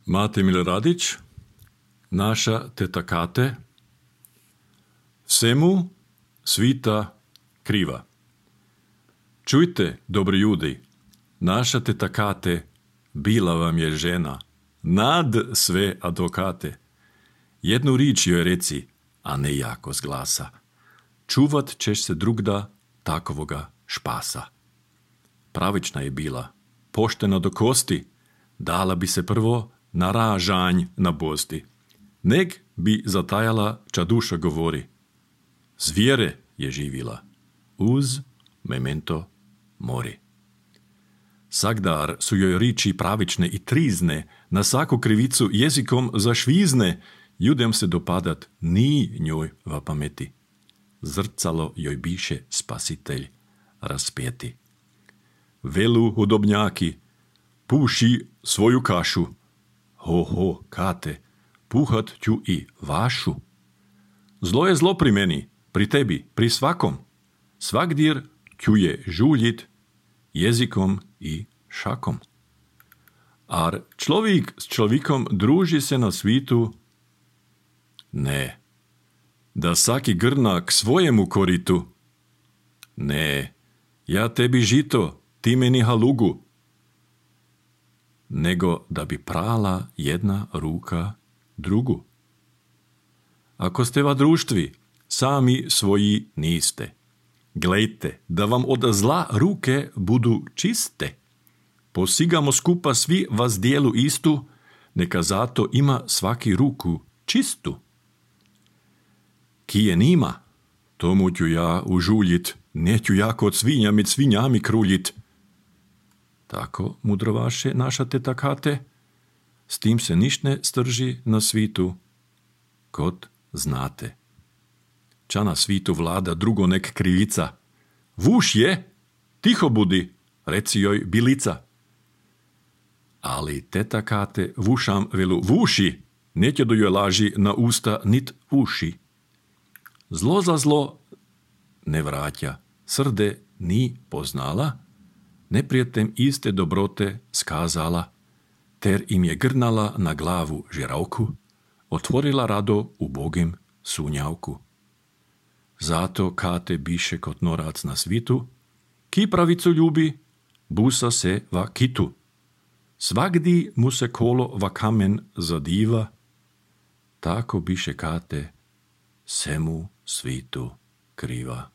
Mate Miloradić, naša teta Kate, svemu svita kriva. Čujte, dobri ljudi, naša teta Kate bila vam je žena, nad sve advokate. Jednu rič joj reci, a ne jako z glasa. Čuvat ćeš se drugda takovoga špasa. Pravična je bila, poštena do kosti, dala bi se prvo na ražanj nabosti. Neg bi zatajala ča duša govori. Zvijere je živila, uz memento mori. Sagdar su joj riči pravične i trizne, na svaku krivicu jezikom zašvizne, judem se dopadat ni njoj va pameti. Zrcalo joj biše spasitelj raspeti. Velu hudobnjaki, puši svoju kašu. Ho, Kate, puhat ću i vašu. Zlo je zlo pri meni, pri tebi, pri svakom. Svagdir ću je žuljit jezikom i šakom. Ar človik s človikom druži se na svitu? Ne. Da saki grna k svojemu koritu? Ne. Ja tebi žito, ti meni halugu. Nego da bi prala jedna ruka drugu. Ako ste va društvi, sami svoji niste. Glejte, da vam od zla ruke budu čiste. Posigamo skupa svi vas dijelu istu, neka zato ima svaki ruku čistu. Kije nima, tomu ću ja užuljit, neću ja kod svinja med svinjami kruljit. Tako, mudrovaše naša teta Kate, s tim se niš ne strži na svitu, kod znate. Ča na svitu vlada drugo nek krivica. Vuš je, tiho budi, reci joj bilica. Ali teta Kate vušam velu vuši, neće do joj laži na usta nit uši. Zlo za zlo ne vraća, srde ni poznala, neprijetem iste dobrote skazala, ter im je grnala na glavu žiravku, otvorila rado ubogim sunjavku. Zato Kate biše kot norac na svitu, ki pravicu ljubi, busa se va kitu. Svagdi mu se kolo va kamen zadiva, tako biše Kate semu svitu kriva.